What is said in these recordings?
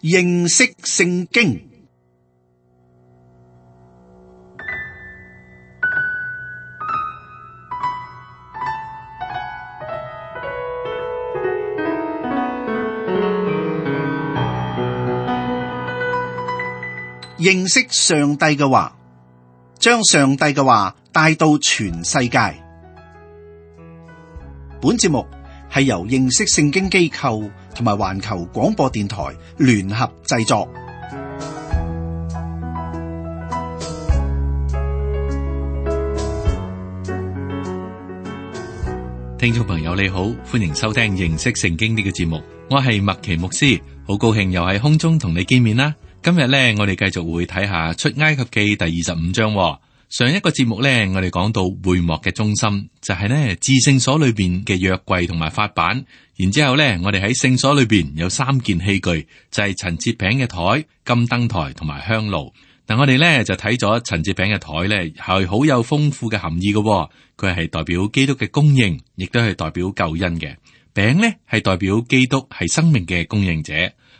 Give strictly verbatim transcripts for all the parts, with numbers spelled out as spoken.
認識聖經。認識上帝嘅話，將上帝嘅話帶到全世界。本節目係由認識聖經機構同埋環球廣播電台聯合製作。聽眾朋友你好，歡迎收聽認識聖經呢個節目，我係麥奇牧師，好高興又喺空中同你見面啦。今日咧，我哋繼續會睇下出埃及記第二十五章。上一個節目咧，我哋講到會幕嘅中心就係咧至聖所裏邊嘅約櫃同埋法版，然之後咧，我哋喺聖所裏邊有三件器具，就係陳設餅嘅台、金燈台同埋香爐。嗱，我哋咧就睇咗陳設餅嘅台咧係好有豐富嘅含義嘅，佢係代表基督嘅供應，亦都係代表救恩嘅。餅咧係代表基督係生命嘅供應者。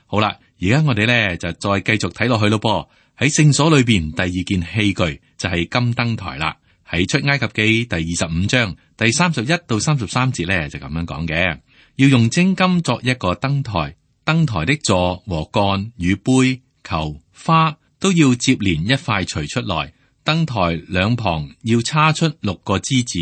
好啦。而家我哋咧就再繼續睇落去咯噃，喺聖所裏邊第二件器具就係金燈台啦。喺出埃及記第二十五章第三十一到三十三節咧就咁樣講嘅，要用精金作一個燈台，燈台的座和杆與杯、球、花都要接連一塊錘出來。燈台兩旁要叉出六個枝子，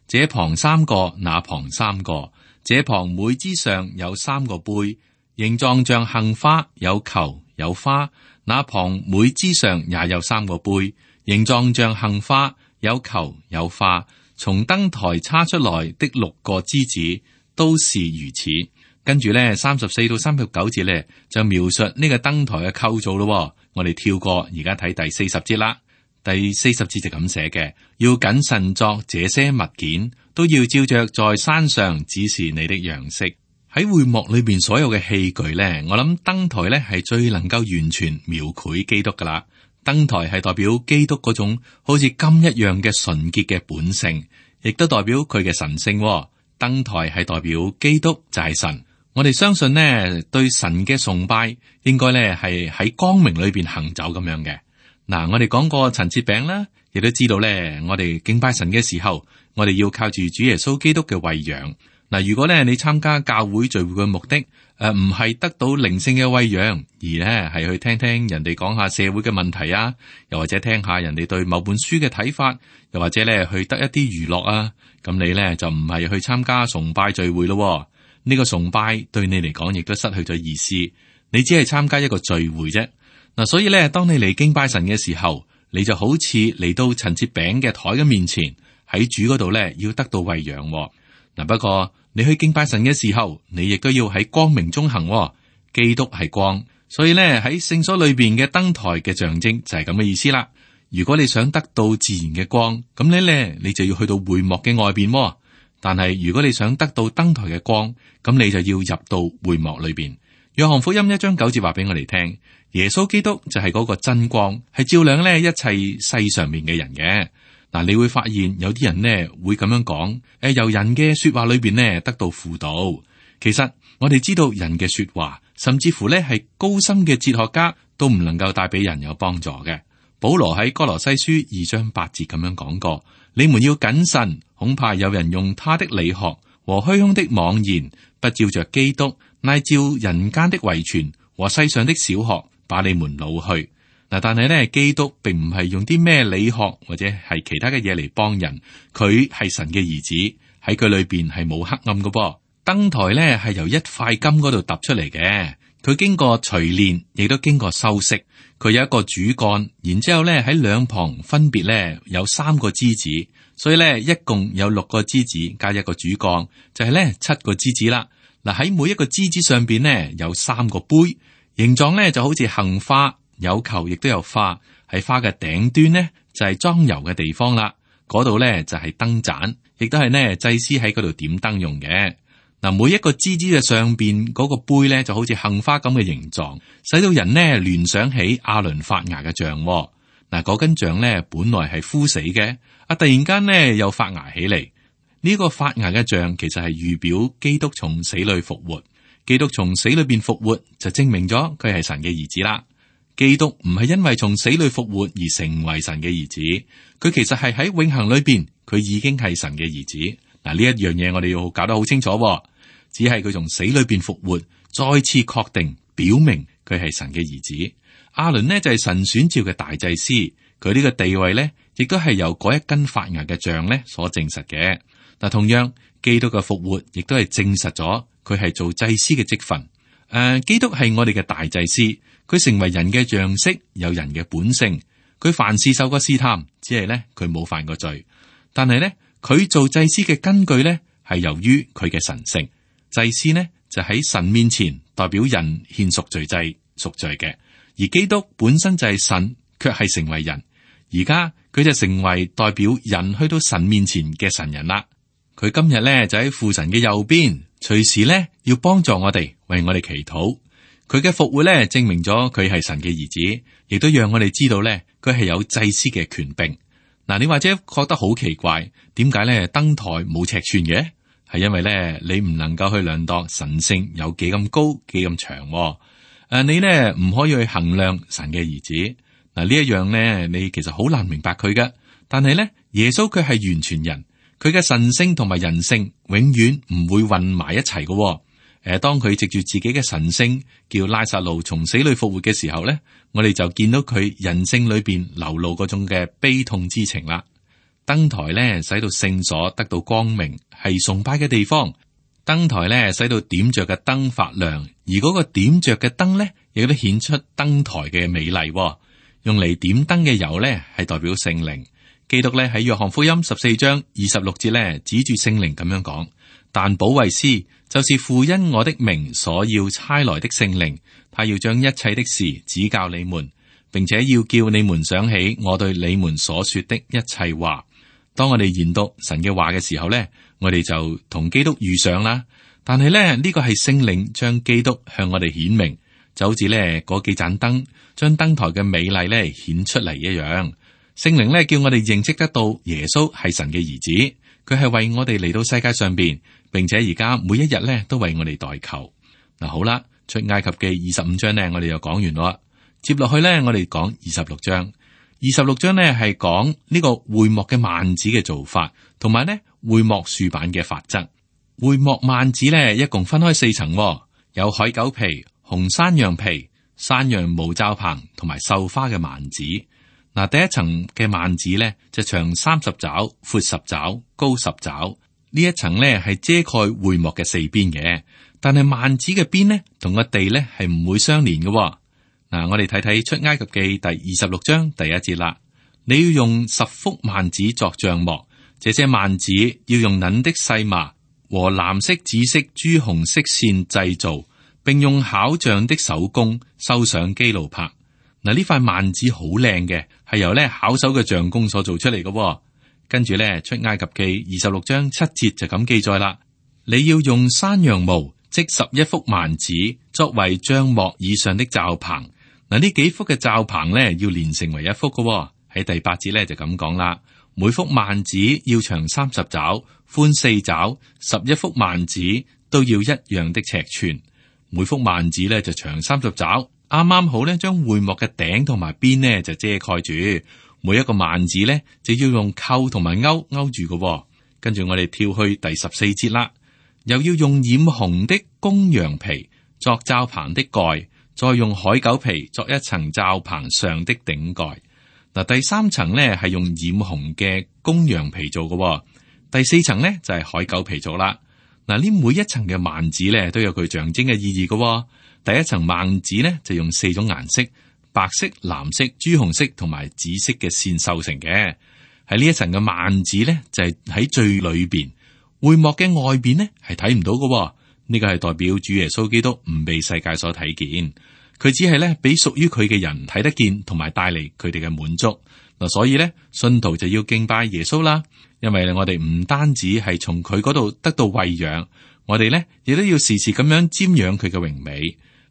這旁三個，那旁三個，這旁每枝上有三個杯。形狀像杏花，有球有花，那旁每枝上也有三個杯，形狀像杏花，有球有花。從燈台叉出來的六個枝子都是如此。跟住咧，三十四到三十九節咧就描述呢個燈台嘅構造咯。我哋跳過，而家睇第四十節啦。第四十節就咁寫嘅，要謹慎作這些物件，都要照着在山上指示你的樣式。喺會幕裏邊所有嘅器具咧，我諗燈台咧係最能夠完全描繪基督噶啦。燈台係代表基督嗰種好似金一樣嘅純潔嘅本性，亦都代表佢嘅神聖。燈台係代表基督就係神。我哋相信呢，對神嘅崇拜應該咧係喺光明裏邊行走咁樣嘅。嗱，我哋講過陳設餅啦，亦都知道咧，我哋敬拜神嘅時候，我哋要靠住主耶穌基督嘅餵養。嗱，如果咧你參加教會聚會嘅目的，誒唔係得到靈性嘅餵養，而咧係去聽聽人哋講下社會嘅問題啊，又或者聽下人哋對某本書嘅睇法，又或者咧去得一啲娛樂啊，咁你咧就唔係去參加崇拜聚會咯。呢個崇拜對你嚟講亦都失去咗意思，你只係參加一個聚會啫。嗱，所以咧，當你嚟敬拜神嘅時候，你就好似嚟到陳設餅嘅台嘅面前，喺主嗰度咧要得到餵養。嗱，不過你去敬拜神嘅時候，你亦都要喺光明中行。基督係光，所以咧喺聖所裏邊嘅燈台嘅象徵就係咁嘅意思啦。如果你想得到自然嘅光，咁你咧你就要去到會幕嘅外邊。但係如果你想得到燈台嘅光，咁你就要入到會幕裏邊。約翰福音一章九節話俾我哋聽，耶穌基督就係嗰個真光，係照亮咧一切世上面嘅人嘅。嗱，你會發現有啲人呢會咁樣講，誒，由人嘅說話裏邊呢得到輔導。其實我哋知道人嘅說話，甚至乎呢係高深嘅哲學家都唔能夠帶俾人有幫助嘅。保羅喺哥羅西書二章八節咁樣講過：你們要謹慎，恐怕有人用他的理學和虛空的妄言，不照着基督，乃照人間的遺傳和世上的小學，把你們擄去。嗱，但係咧，基督並唔係用啲咩理學或者係其他嘅嘢嚟幫人，佢係神嘅兒子，喺佢裏邊係冇黑暗嘅噃。燈台咧係由一塊金嗰度揼出嚟嘅，佢經過錘煉，亦都經過修飾。佢有一個主幹，然之後咧喺兩旁分別咧有三個枝子，所以咧一共有六個枝子加一個主幹，就係咧七個枝子啦。嗱，喺每一個枝子上邊咧有三個杯，形狀咧就好似杏花。有球亦都有花，喺花嘅頂端呢，就係裝油嘅地方啦。嗰度呢，就係燈盞，亦都係呢祭司喺嗰度點燈用嘅。嗱，每一個枝子嘅上邊嗰個杯呢，就好似杏花咁嘅形狀，使到人呢聯想起亞倫發芽嘅像。嗱，嗰根像呢，本來係枯死嘅，啊突然間呢又發芽起嚟。呢個發芽嘅像其實係預表基督從死裏復活。基督從死裏邊復活，就證明咗佢係神嘅兒子啦。基督唔係因為從死裏復活而成為神嘅兒子，佢其實係喺永恆裏邊，佢已經係神嘅兒子。嗱，呢一樣嘢我哋要搞得好清楚，只係佢從死裏邊復活，再次確定表明佢係神嘅兒子。亞倫呢就係神選召嘅大祭司，佢呢個地位呢亦都係由嗰一根發芽嘅杖呢所證實嘅。嗱，同樣基督嘅復活亦都係證實咗佢係做祭司嘅職分。誒、呃，基督係我哋嘅大祭司，佢成為人嘅樣式，有人嘅本性。佢凡事受過試探，只係呢佢冇犯過罪。但係呢，佢做祭司嘅根據呢係由於佢嘅神性。祭司呢就喺神面前代表人獻贖罪祭贖罪嘅，而基督本身就係神，卻係成為人。而家佢就成為代表人去到神面前嘅神人啦。佢今日咧就喺父神嘅右邊，隨時咧要幫助我哋，為我哋祈禱。佢嘅復活咧證明咗佢係神嘅兒子，亦都讓我哋知道咧佢係有祭司嘅權柄。嗱，你或者覺得好奇怪，點解咧燈台冇尺寸嘅？係因為咧你唔能夠去量度神性有幾咁高幾咁長。誒、啊，你咧唔可以去衡量神嘅兒子。嗱，呢一樣咧你其實好難明白佢嘅。但係咧耶穌佢係完全人，佢嘅神性同埋人性永遠唔會混埋一齊嘅。誒，當佢藉住自己嘅神性叫拉撒路從死裏復活嘅時候咧，我哋就見到佢人性裏邊流露嗰種嘅悲痛之情啦。燈台咧使到聖所得到光明，係崇拜嘅地方。燈台咧使到點着嘅燈發亮，而嗰個點着嘅燈咧亦都顯出燈台嘅美麗。用嚟點燈嘅油咧係代表聖靈。基督咧喺約翰福音十四章二十六節咧指住聖靈咁樣講：但保惠師就是父因我的名所要差來的聖靈，他要將一切的事指教你們，並且要叫你們想起我對你們所說的一切話。當我哋研讀神嘅話嘅時候咧，我哋就同基督遇上啦。但係咧呢個係聖靈將基督向我哋顯明，就好似咧嗰幾盞燈將燈台嘅美麗咧顯出嚟一樣。聖靈咧叫我哋認識得到耶穌係神嘅兒子，佢係為我哋嚟到世界上邊，並且而家每一日咧都為我哋代求。嗱，好啦，出埃及記二十五章咧，我哋就講完啦。接落去咧，我哋講二十六章。二十六章呢係講呢個會幕嘅幔子嘅做法，同埋呢會幕豎板嘅法則。會幕幔子呢一共分開四層，有海狗皮、紅山羊皮、山羊毛罩棚同埋繡花嘅幔子。嗱，第一層嘅幔子呢就長三十肘、闊十肘、高十肘。呢一層呢係遮蓋會幕嘅四邊嘅，但係幔子嘅邊呢同個地呢係唔會相連嘅。嗱，我哋睇睇出埃及記第二十六章第一節啦。你要用十幅幔子作帳幕，這些幔子要用捻的細麻和藍色、紫色、朱紅色線製造，並用巧匠的手工繡上基路柏。嗱，呢塊幔子好靚嘅，係由咧巧手嘅匠工所做出嚟嘅。跟住咧出埃及記二十六章七節就咁記載啦。你要用山羊毛織十一幅幔子，作為帳幕以上的罩棚。嗱，呢幾幅嘅罩棚咧要連成為一幅嘅。喺第八節咧就咁講啦。每幅幔子要長三十肘，寬四肘，十一幅幔子都要一樣的尺寸。每幅幔子咧就長三十肘，啱啱好咧將會幕嘅頂同埋邊呢就遮蓋住。每一個幔子咧就要用扣同埋勾勾住嘅。跟住我哋跳去第十四節啦，又要用染紅的公羊皮作罩棚的蓋。再用海狗皮作一層罩棚上的頂蓋。嗱，第三層呢係用染紅嘅公羊皮做嘅，第四層呢就係海狗皮做啦。嗱，呢每一層嘅幔子呢都有佢象徵嘅意義嘅。第一層幔子呢就用四種顏色：白色、藍色、朱紅色同埋紫色嘅線繡成嘅。喺呢一層嘅幔子呢就係喺最裏邊，會幕嘅外邊呢係睇唔到嘅。呢個係代表主耶穌基督唔被世界所睇見，佢只係咧俾屬於佢嘅人睇得見，同埋帶嚟佢哋嘅滿足。嗱，所以咧信徒就要敬拜耶穌啦，因為我哋唔單止係從佢嗰度得到餵養，我哋咧亦都要時時咁樣瞻仰佢嘅榮美。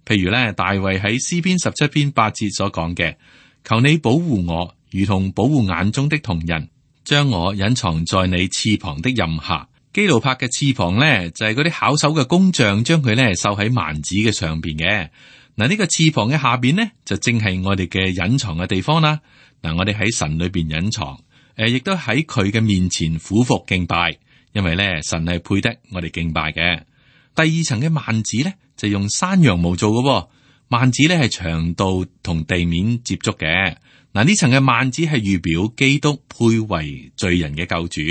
譬如咧大衛喺詩篇十七篇八節所講嘅：求你保護我，如同保護眼中的瞳人，將我隱藏在你翅膀的蔭下。基路伯嘅翅膀咧就係嗰啲巧手嘅工匠將佢咧繡喺幔子嘅上邊嘅。嗱，呢個翅膀嘅下邊呢，就正係我哋嘅隱藏嘅地方啦。嗱，我哋喺神裏邊隱藏，誒，亦都喺佢嘅面前俯伏敬拜，因為咧神係配得我哋敬拜嘅。第二層嘅幔子咧就用山羊毛做嘅，幔子咧係長度同地面接觸嘅。嗱，呢層嘅幔子係預表基督配為罪人嘅救主，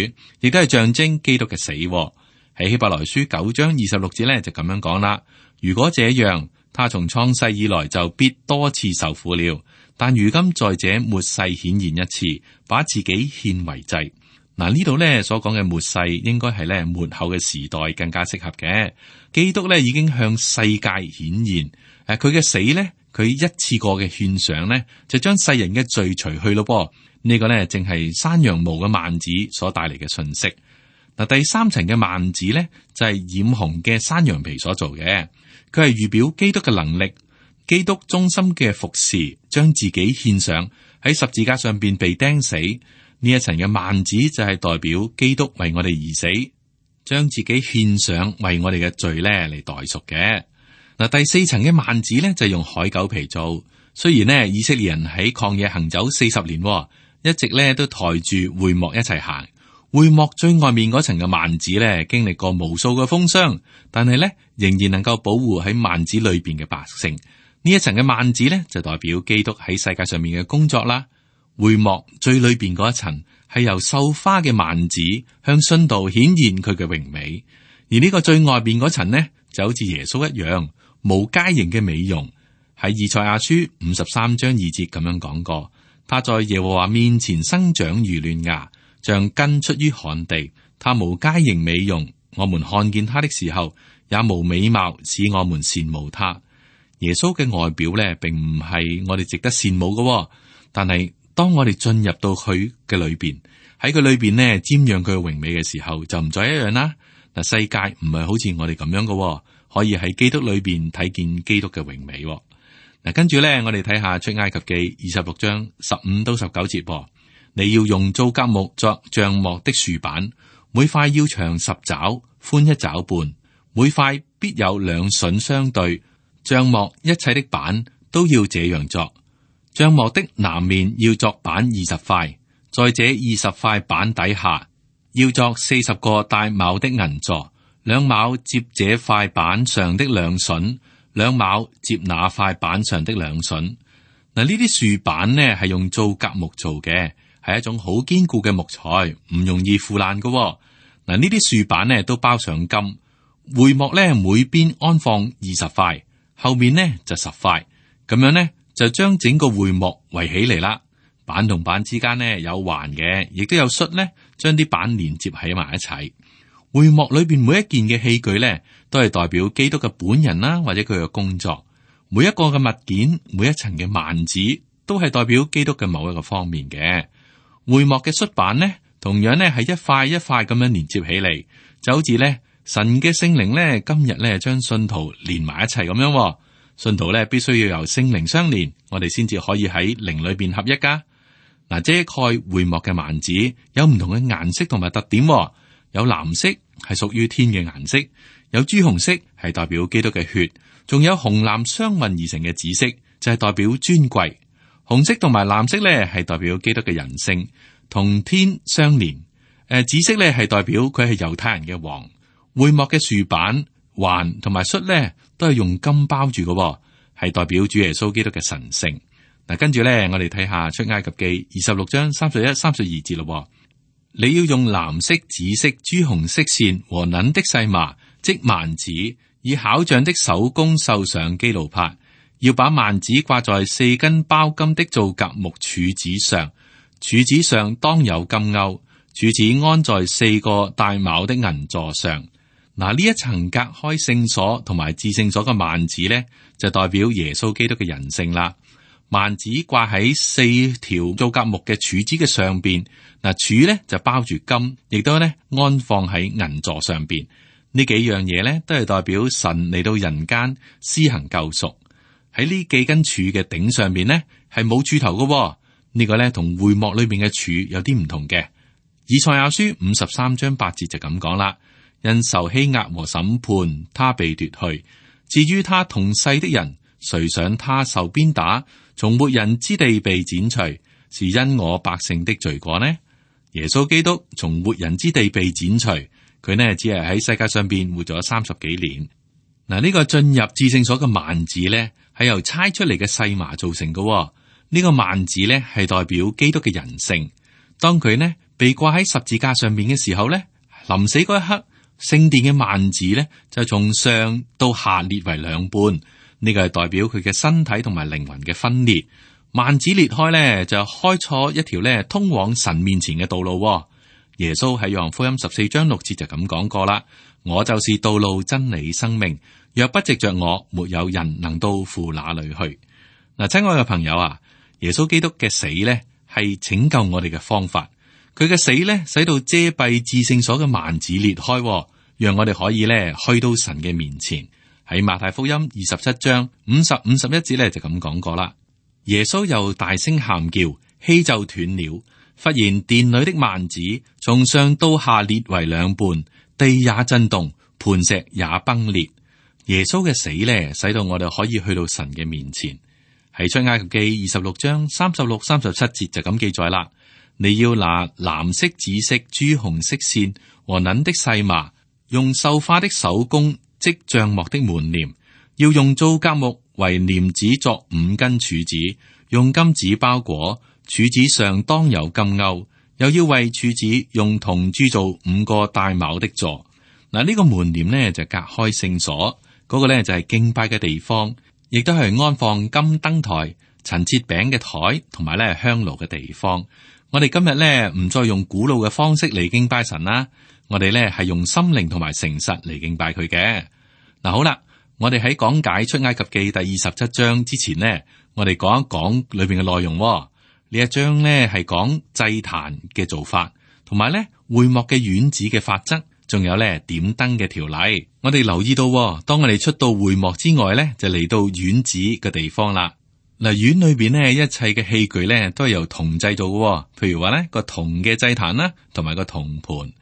亦都係象徵基督嘅死。喺希伯來書九章二十六節咧就咁樣講啦。如果這樣，他從創世以來就必多次受苦了，但如今在這末世顯現一次，把自己獻為祭。嗱，呢度咧所講嘅末世應該係咧末後嘅時代更加適合嘅。基督咧已經向世界顯現，誒，佢嘅死咧，佢一次過嘅獻上咧，就將世人嘅罪除去咯噃。呢個咧正係山羊毛嘅幔子所帶嚟嘅信息。嗱，第三層嘅幔子咧就係染紅嘅山羊皮所做嘅，佢係預表基督嘅能力，基督忠心嘅服侍，將自己獻上喺十字架上邊被釘死。呢一層嘅幔子就係代表基督為我哋而死，將自己獻上為我哋嘅罪咧嚟代贖嘅。嗱，第四層嘅幔子咧就係用海狗皮做。雖然呢，以色列人喺曠野行走四十年，一直咧都抬住會幕一齊行。會幕最外面嗰層嘅幔子咧，經歷過無數嘅風霜，但係咧仍然能夠保護喺幔子裏邊嘅百姓。呢一層嘅幔子咧就代表基督喺世界上面嘅工作啦。會幕最裏邊嗰一層係由繡花嘅幔子向信道顯現佢嘅榮美，而呢個最外邊嗰層呢，就好似耶穌一樣無佳形嘅美容。喺以賽亞書五十三章二節咁樣講過，他在耶和華面前生長如嫩芽，像根出於旱地。他無佳形美容，我們看見他的時候也無美貌，使我們羨慕他。耶穌嘅外表咧，並唔係我哋值得羨慕嘅，但係當我哋進入到佢嘅裏邊，喺佢裏邊呢，瞻仰佢嘅榮美嘅時候，就唔再一樣啦。嗱，世界唔係好似我哋咁樣嘅，可以喺基督裏邊睇見基督嘅榮美。嗱，跟住咧，我哋睇下出埃及記二十六章十五到十九節。你要用皂莢木作帳幕的豎板，每塊要長十肘，寬一肘半，每塊必有兩榫相對。帳幕一切的板都要這樣作。帳幕的南面要作板二十塊，在這二十塊板底下要作四十個帶卯的銀座，兩卯接這塊板上的兩榫，兩卯接那塊板上的兩榫。嗱，呢啲豎板呢係用皂莢木做嘅，係一種好堅固嘅木材，唔容易腐爛噶。嗱，呢啲豎板呢都包上金。會幕呢每邊安放二十塊，後面呢就十塊，咁樣呢就將整個會幕圍起嚟啦。板同板之間呢有環嘅，亦都有栓呢將啲板連接喺埋一齊。會幕裏邊每一件嘅器具呢，都係代表基督嘅本人啦，或者佢嘅工作。每一個嘅物件，每一層嘅幔子，都係代表基督嘅某一個方面嘅。會幕嘅栓板呢，同樣呢係一塊一塊咁樣連接起嚟，就好似呢神嘅聖靈呢，今日呢將信徒連埋一齊咁樣。信徒呢必須要由聖靈相連，我哋先至可以喺靈裏邊合一噶。嗱，遮蓋會幕嘅幔子有唔同嘅顏色同埋特點，有藍色係屬於天嘅顏色，有朱紅色係代表基督嘅血，仲有紅藍相混而成嘅紫色，就係代表尊貴。紅色同埋藍色咧係代表基督嘅人性，同天相連。誒，紫色咧係代表佢係猶太人嘅王。會幕嘅豎板、環同埋栓咧都係用金包住嘅，係代表主耶穌基督嘅神性。嗱，跟住咧，我哋睇下出埃及記二十六章三十一、三十二節咯。你要用藍色、紫色、朱紅色線和捻的細麻織幔子，以巧匠的手工繡上基路伯。要把幔子掛在四根包金的皂莢木柱子上，柱子上當有金鈎，柱子安在四個帶卯的銀座上。嗱，呢一層隔開聖所同埋至聖所嘅幔子咧，就代表耶穌基督嘅人性啦。幔子掛喺四條皂莢木嘅柱子嘅上邊，嗱，柱咧就包住金，亦都咧安放喺銀座上邊。呢幾樣嘢咧都係代表神嚟到人間施行救贖。喺呢幾根柱嘅頂上邊呢，係冇柱頭嘅、哦。呢、這個咧同會幕裏面嘅柱有啲唔同嘅。以賽亞書五十三章八節就咁講啦：因受欺壓和審判，他被奪去。至於他同世的人，誰想他受鞭打，從活人之地被剪除，是因我百姓的罪過呢？耶穌基督從活人之地被剪除，佢呢只係喺世界上邊活咗三十幾年。嗱，呢個進入至聖所嘅幔子呢，係由猜出嚟嘅細麻造成嘅。呢、這個幔子呢，係代表基督嘅人性。當佢呢被掛喺十字架上面嘅時候呢，臨死嗰一刻，聖殿嘅幔子呢就從上到下裂為兩半。呢、這個係代表佢嘅身體同埋靈魂嘅分裂。幔子裂開呢，就開錯一條呢通往神面前嘅道路。耶穌喺約翰福音十四章六節就咁講過啦：我就是道路、真理、生命，若不藉着我，沒有人能到父那裏去。嗱，親愛嘅朋友啊，耶穌基督嘅死呢係拯救我哋嘅方法。佢嘅死呢，使到遮蔽至聖所嘅幔子裂開，讓我哋可以呢去到神嘅面前。喺馬太福音二十七章五十五十一節呢，就咁講過啦。耶穌又大聲喊叫，氣就斷了。忽然殿裏的幔子從上到下裂為兩半，地也震動，磐石也崩裂。耶穌嘅死呢，使到我哋可以去到神嘅面前。喺出埃及記二十六章三十六、三十七節就咁記載啦。你要拿藍色、紫色、朱紅色線和捻的細麻，用繡花的手工織帳幕的門簾，要用皂莢木為簾子作五根柱子，用金子包裹，柱子上當有金鈎，又要為柱子用銅鑄造五個帶卯的座。嗱，呢個門簾呢就隔開聖所，嗰、那個呢就係敬拜嘅地方，亦都係安放金燈台、陳設餅嘅台同埋咧香爐嘅地方。我哋今日呢唔再用古老嘅方式嚟敬拜神啦，我哋呢係用心靈同埋誠實嚟敬拜佢嘅。嗱，好啦。我哋喺講解出埃及記第二十七章之前呢，我哋講一講裏邊嘅內容。呢一章呢係講祭壇嘅做法，同埋咧會幕嘅院子嘅法則，仲有咧點燈嘅條例。我哋留意到，當我哋出到會幕之外咧，就嚟到院子嘅地方啦。嗱，院裏邊呢，一切嘅器具咧都係由銅製造嘅，譬如話咧個銅嘅祭壇啦，同埋個銅盤。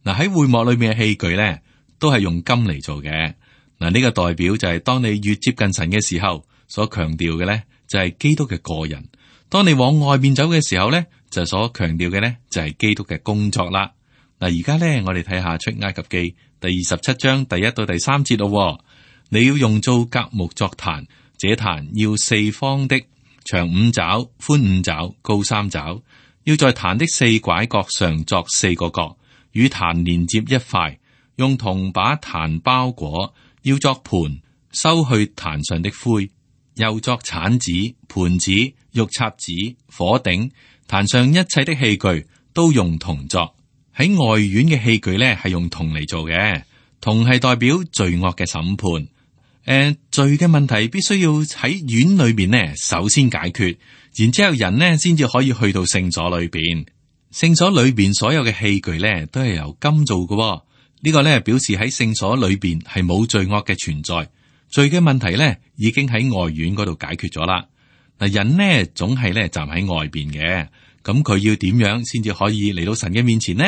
嗱，喺會幕裏邊嘅器具咧，都係用金嚟做嘅。嗱，呢個代表就係當你越接近神嘅時候，所強調嘅咧就係基督嘅個人；當你往外面走嘅時候咧，就所強調嘅咧就係基督嘅工作啦。嗱，而家咧我哋睇下出埃及記第二十七章第一到第三節咯。你要用皂莢木作壇，這壇要四方的，長五肘，寬五肘，高三肘，要在壇的四拐角上作四個角，與壇連接一塊，用銅把壇包裹。要作盤，收去壇上的灰，又作鏟子、盤子、玉插子、火頂，壇上一切的器具都用銅作。喺外院嘅器具咧，係用銅嚟做嘅。銅係代表罪惡嘅審判。誒、呃，罪嘅問題必須要喺院裏邊呢，首先解決，然之後人呢先至可以去到聖所裏邊。聖所裏邊所有嘅器具咧，都係由金做嘅。呢個咧表示喺聖所裏邊係冇罪惡嘅存在，罪嘅問題咧已經喺外院嗰度解決咗啦。嗱，人呢總係咧站喺外邊嘅，咁佢要點樣先至可以嚟到神嘅面前呢？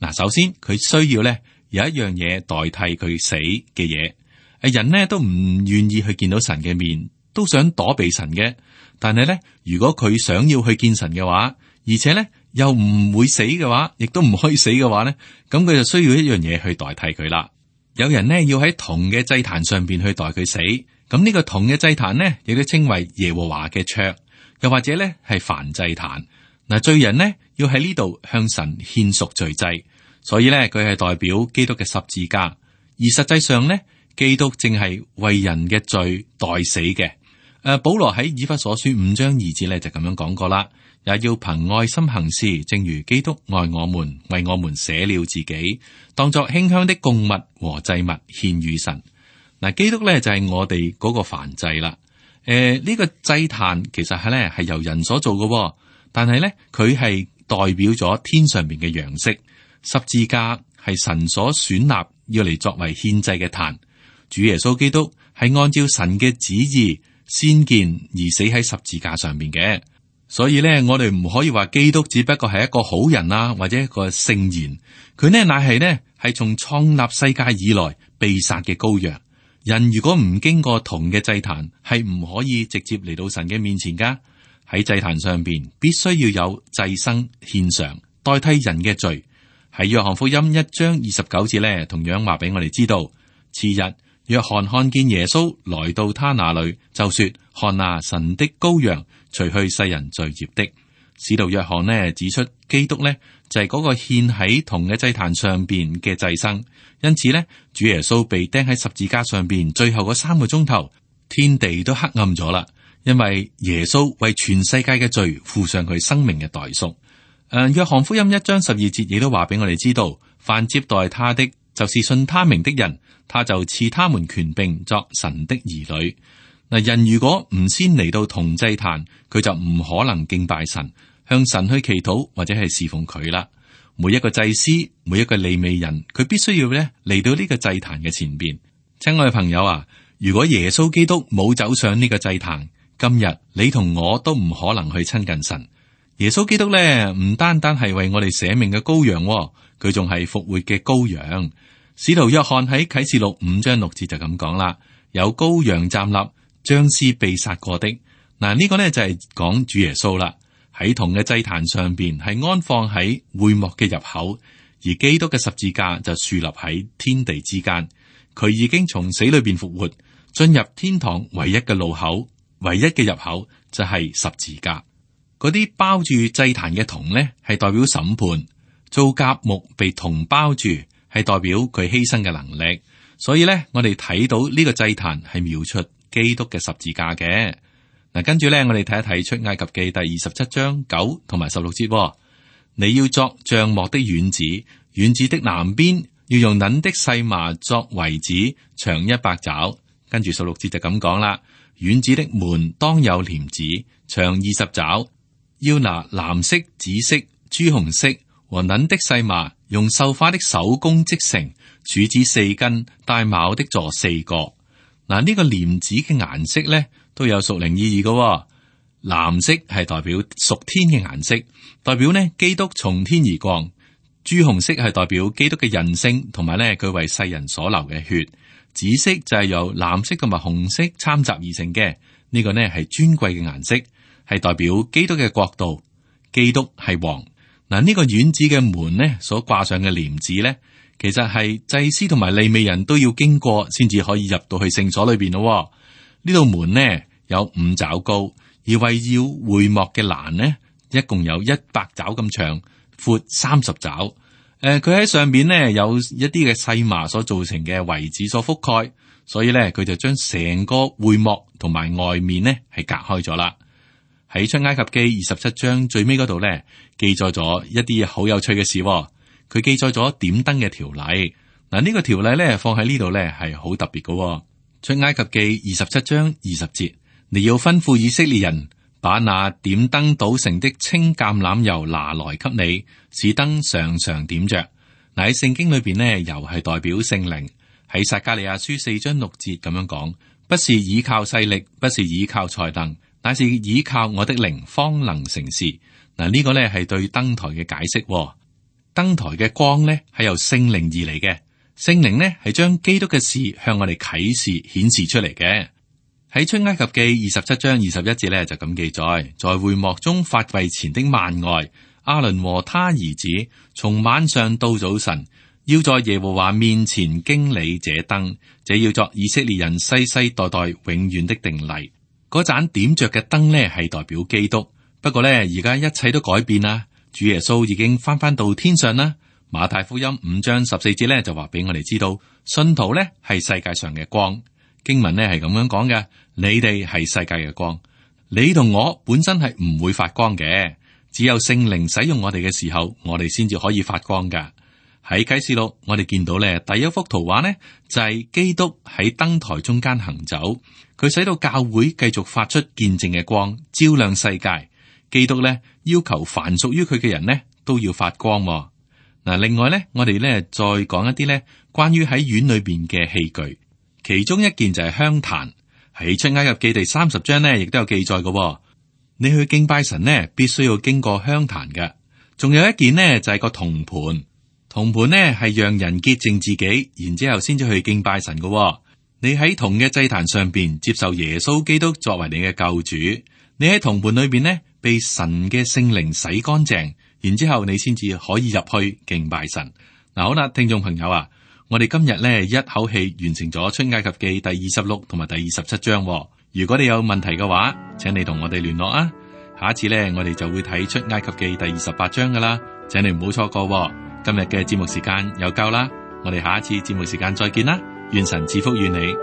嗱，首先佢需要咧有一樣嘢代替佢死嘅嘢。誒，人呢都唔願意去見到神嘅面，都想躲避神嘅。但係咧，如果佢想要去見神嘅話，而且咧，又唔會死嘅話，亦都唔可以死嘅話咧，咁佢就需要一樣嘢去代替佢啦。有人呢要喺銅嘅祭壇上邊去代佢死，咁呢個銅嘅祭壇呢，亦都稱為耶和華嘅桌，又或者咧係燔祭壇。嗱，罪人呢要喺呢度向神獻贖罪祭，所以咧佢係代表基督嘅十字架，而實際上呢，基督正係為人嘅罪代死嘅。誒，保羅喺以弗所書五章二節咧就咁樣講過啦。也要憑愛心行事，正如基督愛我們，為我們捨了自己，當作馨香的供物和祭物獻與神。嗱，基督咧就係我哋嗰個燔祭啦。誒、呃，呢、這個祭壇其實係咧係由人所做嘅，但係咧佢係代表咗天上邊嘅樣式。十字架係神所選立要嚟作為獻祭嘅壇。主耶穌基督係按照神嘅旨意先見而死喺十字架上面嘅。所以咧，我哋唔可以話基督只不過係一個好人啊，或者一個聖賢。佢呢乃係呢係從創立世界以來被殺嘅羔羊。人如果唔經過銅嘅祭壇，係唔可以直接嚟到神嘅面前噶。喺祭壇上邊，必須要有祭牲獻上，代替人嘅罪。喺約翰福音一章二十九節咧，同樣話俾我哋知道，次日約翰看見耶穌來到他那裏，就說：看啊，神的羔羊，除去世人罪孽的。使徒約翰呢指出，基督呢就係、是、嗰個獻喺銅嘅祭壇上邊嘅祭牲。因此呢，主耶穌被釘喺十字架上邊，最後嗰三個鐘頭，天地都黑暗咗啦，因為耶穌為全世界嘅罪付上佢生命嘅代贖。誒，約翰福音一章十二節亦都話俾我哋知道，凡接待他的，就是信他名的人，他就賜他們權柄作神的兒女。嗱，人如果唔先嚟到銅祭壇，佢就唔可能敬拜神，向神去祈禱或者係侍奉佢啦。每一個祭司，每一個利未人，佢必須要咧嚟到呢個祭壇嘅前邊。親愛嘅朋友啊，如果耶穌基督冇走上呢個祭壇，今日你同我都唔可能去親近神。耶穌基督咧，唔單單係為我哋捨命嘅羔羊，佢仲係復活嘅羔羊。使徒約翰喺啟示錄五章六節就咁講啦：有羔羊站立，將是被殺過的。嗱，呢個呢就係講主耶穌啦。喺銅嘅祭壇上邊係安放喺會幕嘅入口，而基督嘅十字架就豎立喺天地之間。佢已經從死裏邊復活，進入天堂唯一嘅路口，唯一嘅入口就係十字架。嗰啲包住祭壇嘅銅呢，係代表審判；做甲木被銅包住，係代表佢犧牲嘅能力。所以呢，我哋睇到呢個祭壇係描述基督嘅十字架嘅。嗱，跟住呢，我哋睇一睇出埃及記第二十七章九同埋十六節。你要作帳幕的院子，院子的南邊要用捻的細麻作圍子，長一百肘。跟住十六節就咁講啦，院子的門當有簾子，長二十肘。要拿藍色、紫色、朱紅色和捻的細麻，用繡花的手工織成，柱子四根，帶卯的座四個。嗱，呢個簾子嘅顏色咧都有屬靈意義嘅、哦。藍色係代表屬天嘅顏色，代表呢基督從天而降。朱紅色係代表基督嘅人性，同埋咧佢為世人所流嘅血。紫色就係由藍色同埋紅色摻雜而成嘅，呢、這個呢係尊貴嘅顏色。係代表基督嘅國度，基督係王。嗱，呢個院子嘅門呢，所掛上嘅簾子呢，其實係祭司同埋利未人都要經過，先至可以入到去聖所裏邊咯。呢道門呢有五肘高，而圍繞會幕嘅欄呢，一共有一百肘咁長，闊三十肘。誒、呃，佢喺上邊呢有一啲嘅細麻所造成嘅圍子所覆蓋，所以呢，佢就將成個會幕同埋外面呢係隔開咗啦。喺出埃及記二十七章最尾嗰度咧，記載咗一啲好有趣嘅事、哦。佢記載咗點燈嘅條例。嗱，呢個條例咧放喺呢度咧係好特別嘅、哦。出埃及記二十七章二十節，你要吩咐以色列人把那點燈倒成的清橄欖油拿來給你，使燈常常點着。嗱，喺聖經裏邊呢，油係代表聖靈。喺撒迦利亞書四章六節咁樣講，不是倚靠勢力，不是倚靠才能，乃是倚靠我的靈，方能成事。嗱，呢個呢係對燈台嘅解釋、哦。燈台嘅光呢係由聖靈而嚟嘅，聖靈呢係將基督嘅事向我哋啟示顯示出嚟嘅。喺出埃及記二十七章二十一節呢就咁記載，在會幕中法櫃前的幔外，亞倫和他兒子從晚上到早晨，要在耶和華面前經理這燈，這要作以色列人世世代代永遠的定例。嗰盞點着嘅燈呢係代表基督，不過呢，而家一切都改變啦。主耶穌已經翻翻到天上啦。馬太福音五章十四節呢就話俾我哋知道，信徒呢係世界上嘅光。經文呢係咁樣講嘅，你哋係世界嘅光。你同我本身係唔會發光嘅，只有聖靈使用我哋嘅時候，我哋先至可以發光噶。喺啟示錄，我哋見到咧第一幅圖畫呢，就係、是、基督喺燈台中間行走，佢使到教會繼續發出見證嘅光，照亮世界。基督咧要求凡屬於佢嘅人呢都要發光、哦。嗱，另外咧，我哋咧再講一啲咧關於喺院裏邊嘅器具，其中一件就係香壇。喺出埃及記第三十章呢，亦都有記載嘅、哦。你去敬拜神呢，必須要經過香壇嘅。仲有一件呢，就係個銅盤。銅盤呢係讓人潔淨自己，然之後先至去敬拜神嘅。你喺銅嘅祭壇上邊接受耶穌基督作為你嘅救主，你喺銅盤裏邊呢被神嘅聖靈洗乾淨，然之後你先至可以入去敬拜神。嗱，好啦，聽眾朋友啊，我哋今日呢一口氣完成咗出埃及記第二十六同埋第二十七章。如果你有問題嘅話，請你同我哋聯絡啊。下一次呢，我哋就會睇出埃及記第二十八章噶啦，請你唔好錯過。今日嘅節目時間又夠啦，我哋下一次節目時間再見啦，願神賜福於你。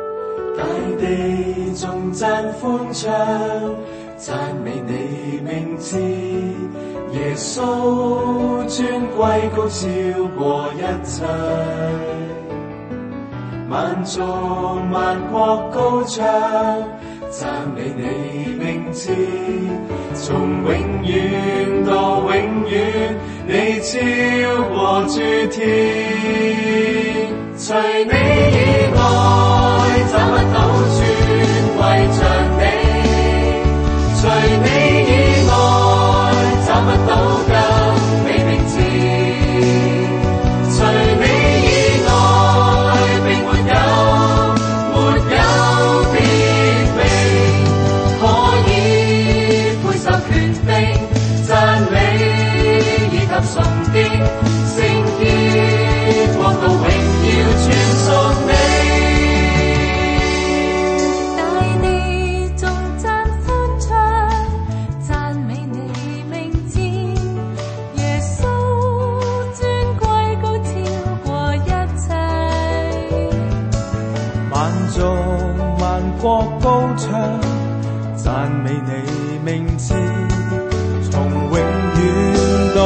大地頌讚歡唱，讚美你名字，耶穌尊貴高超過一切，萬眾萬國高唱，讚美你名字，從永遠到永遠，你超過諸天，除你以外找不到尊貴像你，除你以外找不到更美名字，除你以外並沒有沒有別名可以配受權柄讚美以及崇敬，聖潔國度榮耀全屬你。國高唱，讚美你名字，從永遠到